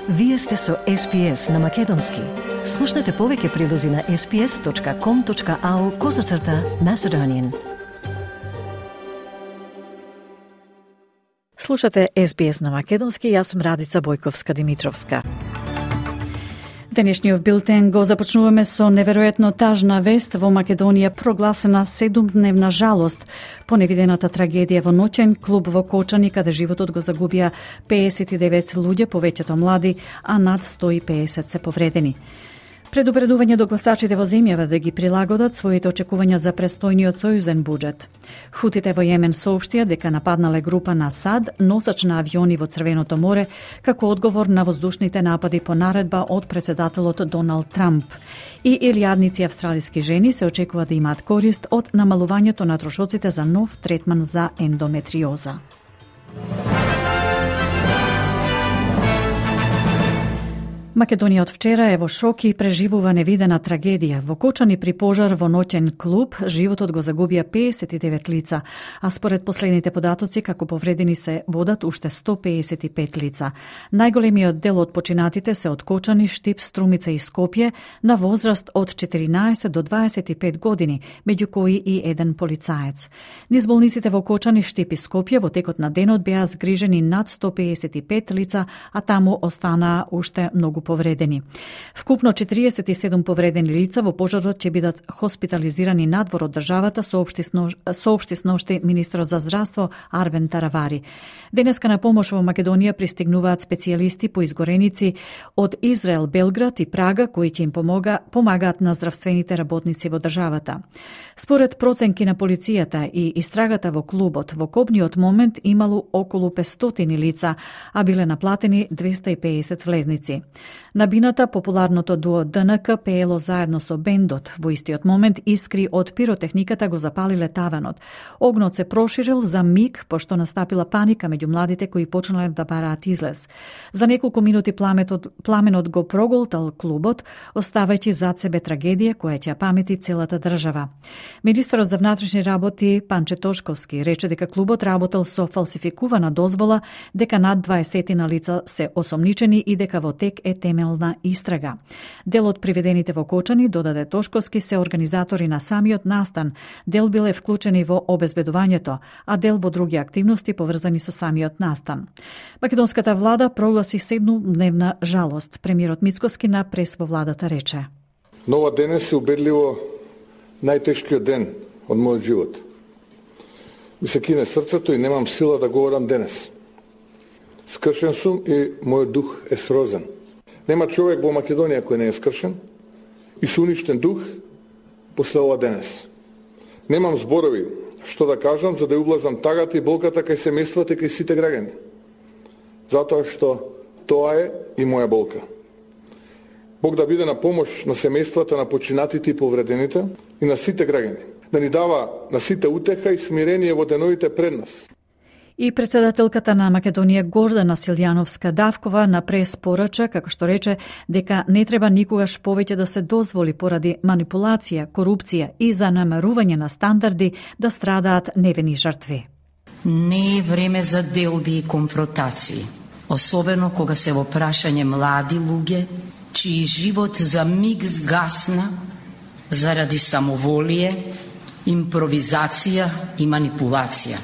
Вие сте со SPS на Македонски. Слушнете повеќе прилози на sps.com.au/Macedonian. Слушате SBS на Македонски, јас сум Радица Бојковска-Димитровска. Денешниот билтен го започнуваме со неверојатно тажна вест. Во Македонија прогласена 7-дневна жалост по невидената трагедија во ноќен клуб во Кочани, каде животот го загубија 59 луѓе, повеќето млади, а над 150 се повредени. Предупредување до гласачите во земјава да ги прилагодат своите очекувања за престојниот сојузен буџет. Хутите во Јемен соопштија дека нападнале група на САД, носач на авиони во Црвеното море, како одговор на воздушните напади по наредба од председателот Доналд Трамп. И илјадници австралиски жени се очекува да имаат корист од намалувањето на трошоците за нов третман за ендометриоза. Македонија од вчера е во шок и преживува невидена трагедија. Во Кочани при пожар во ноќен клуб животот го загубија 59 лица, а според последните податоци како повредени се водат уште 155 лица. Најголемиот дел од починатите се од Кочани, Штип, Струмица и Скопје на возраст од 14 до 25 години, меѓу кои и еден полицаец. Низ болниците во Кочани, Штип и Скопје во текот на денот беа згрижени над 155 лица, а таму останаа уште многу повредени. Вкупно 47 повредени лица во пожарот ќе бидат хоспитализирани надвор од државата, соопшти сношти министерот за здравство Арбен Таравари. Денеска на помош во Македонија пристигнуваат специјалисти по изгореници од Израел, Белград и Прага, кои ќе им помагаат на здравствените работници во државата. Според проценки на полицијата и истрагата во клубот, во копниот момент имало околу 500 лица, а биле наплатени 250 влезници. На бината популарното дуо ДНК пеело заедно со бендот. Во истиот момент искри од пиротехниката го запалиле таванот. Огнот се проширил за миг, пошто настапила паника меѓу младите кои почнале да бараат излез. За неколку минути пламенот го проголтал клубот, оставајќи зад себе трагедија која ќе памети целата држава. Министерот за внатрешни работи Панче Тошковски рече дека клубот работел со фалсификувана дозвола, дека над 20 на лица се осомничени и дека во тек е темелна истрага. Дел од приведените во Кочани, додаде Тошковски, се организатори на самиот настан. Дел биле вклучени во обезбедувањето, а дел во други активности поврзани со самиот настан. Македонската влада прогласи 7-дневна жалост. Премиерот Мицкоски на прес во владата рече: Нова денес е убедливо најтешкиот ден од мојот живот. Ми се кине срцето и немам сила да говорам денес. Скршен сум и мојот дух е срозен. Нема човек во Македонија кој не е скршен и со уништен дух после ова денес. Немам зборови што да кажам за да ублажам тагата и болката кај семејствата и кај сите граѓани. Затоа што тоа е и моја болка. Бог да биде на помош на семејствата на починатите и повредените и на сите граѓани. Да ни дава на сите утеха и смирение во деновите пред нас. И председателката на Македонија Гордана Силјановска-Давкова на прес порача, како што рече, дека не треба никогаш повеќе да се дозволи поради манипулација, корупција и занемарување на стандарди да страдаат невини жртви. Не е време за делби и конфронтации, особено кога се во прашање млади луѓе, чиј живот за миг згасна заради самоволие, импровизација и манипулација.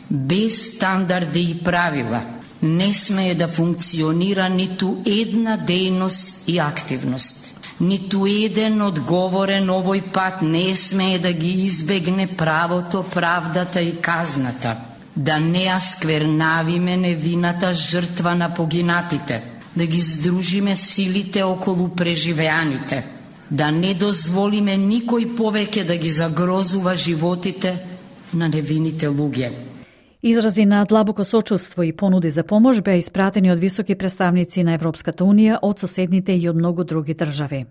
Без стандарди и правила не смее да функционира ниту една дејност и активност. Ниту еден одговорен овој пат не смее да ги избегне правото, правдата и казната. Да не ја сквернавиме невината жртва на погинатите, да ги здружиме силите околу преживеаните, да не дозволиме никој повеќе да ги загрозува животите на невините луѓе. Изрази на длабоко сочувство и понуди за помош беа испратени од високи представници на Европската унија, од соседните и од многу други држави.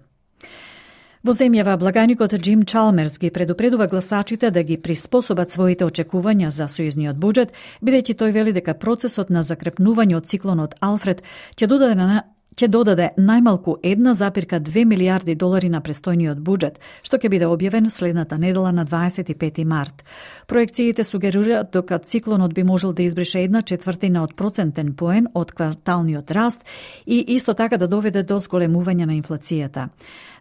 Во земјава, благајникот Джим Чалмерс ги предупредува гласачите да ги приспособат своите очекувања за сојузниот буџет, бидејќи тој вели дека процесот на закрепнување од циклонот Алфред ќе ќе додаде најмалку 1,2 милијарди долари на престојниот буџет, што ќе биде објавен следната недела на 25 март. Проекциите сугерираат дека циклонот би можел да избрише 1/4 од процентен поен од кварталниот раст и исто така да доведе до зголемување на инфлацијата.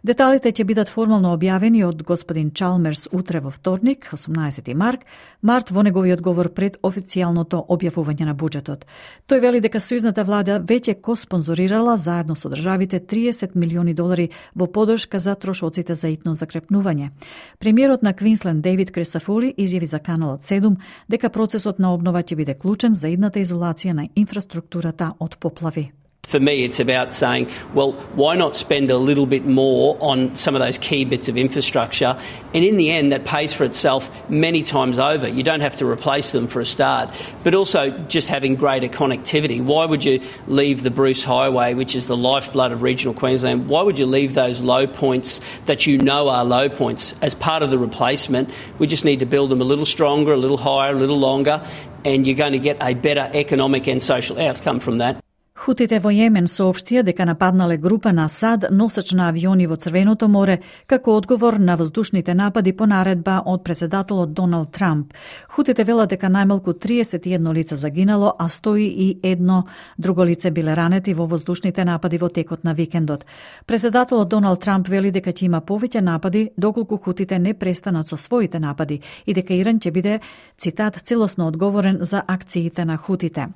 Деталите ќе бидат формално објавени од господин Чалмерс утре во вторник, 18 март, во неговиот говор пред официјалното објавување на буџетот. Тој вели дека сојузната влада веќе коспонзорирала заедно со државите 30 милиони долари во поддршка за трошоците за итно закрепнување. Премиерот на Квинсленд Дейвид Кресафоли изјави за Каналот 7 дека процесот на обнова ќе биде клучен за идната изолација на инфраструктурата од поплави. For me, it's about saying, well, why not spend a little bit more on some of those key bits of infrastructure? And in the end, that pays for itself many times over. You don't have to replace them for a start. But also just having greater connectivity. Why would you leave the Bruce Highway, which is the lifeblood of regional Queensland, why would you leave those low points that you know are low points as part of the replacement? We just need to build them a little stronger, a little higher, a little longer, and you're going to get a better economic and social outcome from that. Хутите во Јемен соопштија дека нападнале група на Асад носеч на авиони во Црвеното море како одговор на воздушните напади по наредба од председателот Доналд Трамп. Хутите велат дека најмалку 31 лица загинало, а 101 друго лице биле ранети во воздушните напади во текот на викендот. Председателот Доналд Трамп вели дека ќе има повеќе напади доколку хутите не престанат со своите напади и дека Иран ќе биде, цитат, целосно одговорен за акциите на хутите.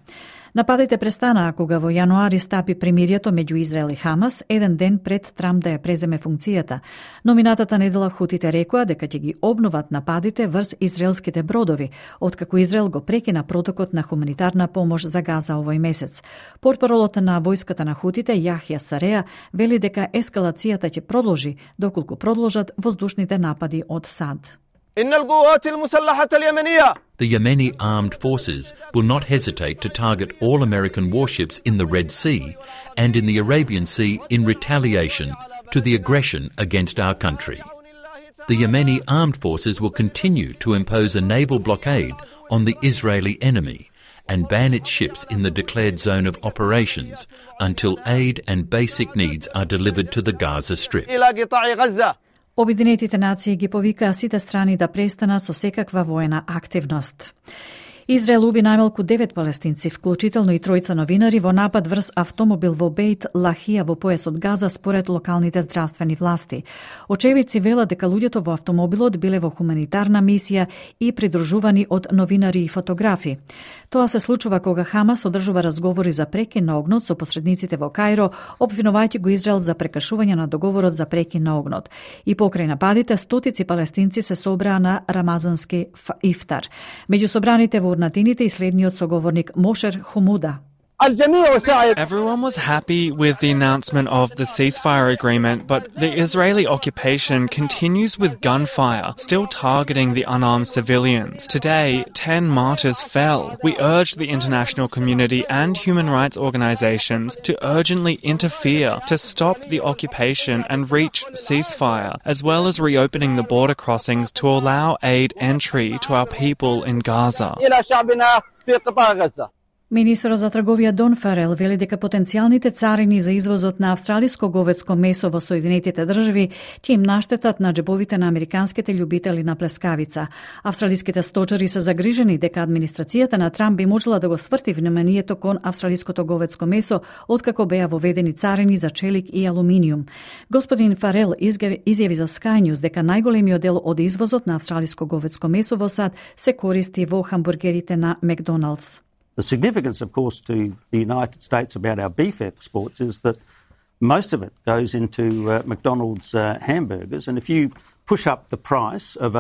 Нападите престанаа кога во јануари стапи премирието меѓу Израел и Хамас, еден ден пред Трамп да ја преземе функцијата. Но минатата недела хутите рекоа дека ќе ги обноват нападите врз израелските бродови, откако Израел го прекина протокот на хуманитарна помош за Газа овој месец. Портпаролот на војската на хутите, Јахја Сареа, вели дека ескалацијата ќе продолжи доколку продолжат воздушните напади од САД. The Yemeni armed forces will not hesitate to target all American warships in the Red Sea and in the Arabian Sea in retaliation to the aggression against our country. The Yemeni armed forces will continue to impose a naval blockade on the Israeli enemy and ban its ships in the declared zone of operations until aid and basic needs are delivered to the Gaza Strip. Обединетите нации ги повикаа сите страни да престанат со секаква воена активност. Израел уби најмалку 9 палестинци, вклучително и тројца новинари, во напад врз автомобил во Бейт Лахија во поесот Газа според локалните здравствени власти. Очевидци велат дека луѓето во автомобилот биле во хуманитарна мисија и придружувани од новинари и фотографи. Тоа се случува кога Хамас одржува разговори за прекин на огнот со посредниците во Кајро, обвинувајќи го Израел за прекашување на договорот за прекин на огнот. И покрај нападите, стотици палестинци се собраа на рамазански ифтар. Меѓу собраните во урнатините и следниот соговорник Мошер Хумуда. Everyone was happy with the announcement of the ceasefire agreement, but the Israeli occupation continues with gunfire, still targeting the unarmed civilians. Today, 10 martyrs fell. We urge the international community and human rights organizations to urgently interfere to stop the occupation and reach ceasefire, as well as reopening the border crossings to allow aid entry to our people in Gaza. Министерот за трговија Дон Фарел вели дека потенцијалните царини за извозот на австралиско говедско месо во Соединетите држави ќе им наштетат на џебовите на американските љубители на плескавица. Австралиските сточари се загрижени дека администрацијата на Трамп би можела да го сврти вниманието кон австралиското говедско месо откако беа воведени царини за челик и алуминиум. Господин Фарел изјави за Sky News дека најголемиот дел од извозот на австралиско говедско месо во САД се користи во хамбургерите на Макдоналдс. The significance, of course, to the United States about our beef exports is that most of it goes into McDonald's hamburgers, and if you push up the price of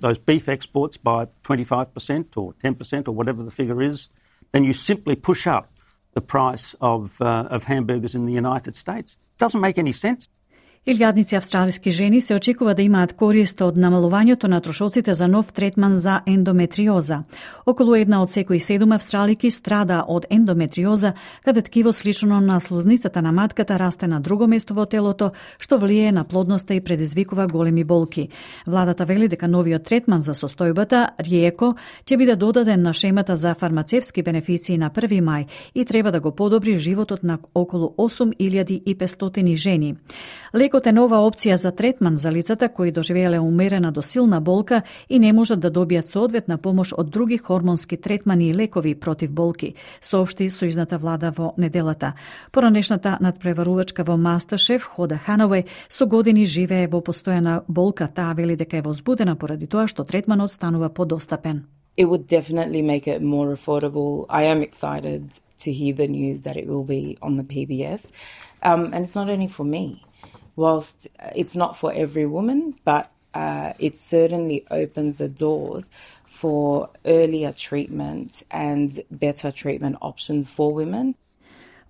those beef exports by 25% or 10% or whatever the figure is, then you simply push up the price of hamburgers in the United States. It doesn't make any sense. Илјадници австралиски жени се очекува да имаат корист од намалувањето на трошоците за нов третман за ендометриоза. Околу 1 од секои 7 австралики страда од ендометриоза, каде ткиво слично на слузницата на матката расте на друго место во телото, што влијае на плодноста и предизвикува големи болки. Владата вели дека новиот третман за состојбата, Риеко, ќе биде додаден на шемата за фармацевски бенефиции на 1 мај и треба да го подобри животот на околу 8500 жени. Лекот е нова опција за третман за лицата кои доживееле умерена до силна болка и не можат да добијат соодветна помош од други хормонски третмани и лекови против болки, соопшти сојузната влада во неделата. Поранешната надпреварувачка во Мастершеф, Хода Хановеј, со години живее во постојана болка. Таа вели дека е возбудена поради тоа што третманот станува подостапен. It would definitely make it more affordable. I am excited to hear the news that it will be on the PBS. And it's not only for me. Whilst it's not for every woman, but it certainly opens the doors for earlier treatment and better treatment options for women.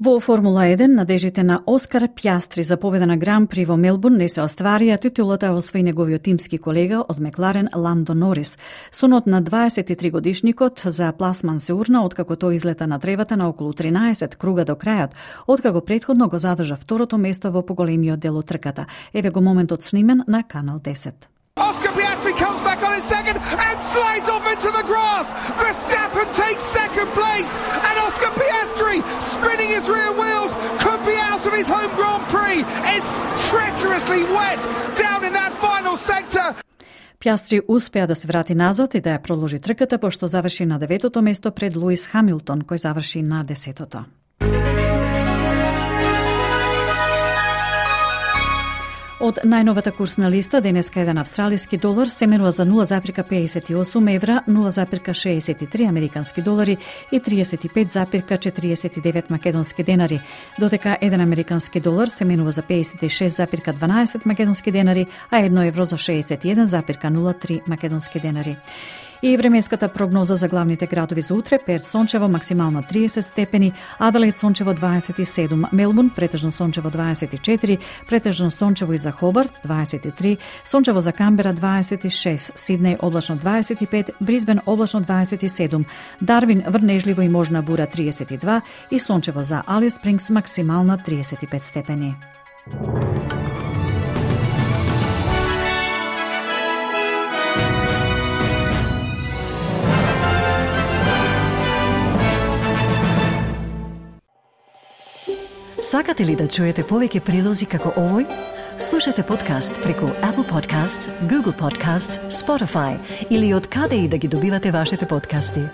Во Формула 1, надежите на Оскар Пјастри за победа на Гран При во Мелбурн не се остварија, титулата освои неговиот тимски колега од Макларен Ландо Норис. Сонот на 23 годишникот за пласман се урна откако тој излета на тревата на околу 13 круга до крајот, откако претходно го задржа второто место во поголемиот дел од трката. Еве го моментот снимен на Канал 10. Oscar Piastri comes back on his second and slides off into the grass. Verstappen takes second place and Oscar Piastri, spinning his rear wheels, could be out of his home Grand Prix. It's treacherously wet down in that final sector. Пјастри успеа да се врати назад и да ја продолжи трката, пошто заврши на 9-то место пред Луис Хамилтон, кој заврши на 10-то. Од најновата курсна листа, денеска еден австралиски долар се менува за 0,58 евра, 0,63 американски долари и 35,49 македонски денари, додека еден американски долар се менува за 56,12 македонски денари, а 1 евро за 61,03 македонски денари. И временската прогноза за главните градови за утре: Перт сончево, максимално 30 степени, Аделаид сончево 27, Мелбурн претежно сончево 24, претежно сончево и за Хобарт 23, сончево за Камбера 26, Сиднеј облачно 25, Брисбен облачно 27, Дарвин врнежливо и можна бура 32 и сончево за Алис Спрингс максимална 35 степени. Сакате ли да чуете повеќе прилози како овој? Слушате подкаст преку Apple Podcasts, Google Podcasts, Spotify или од каде и да ги добивате вашите подкасти.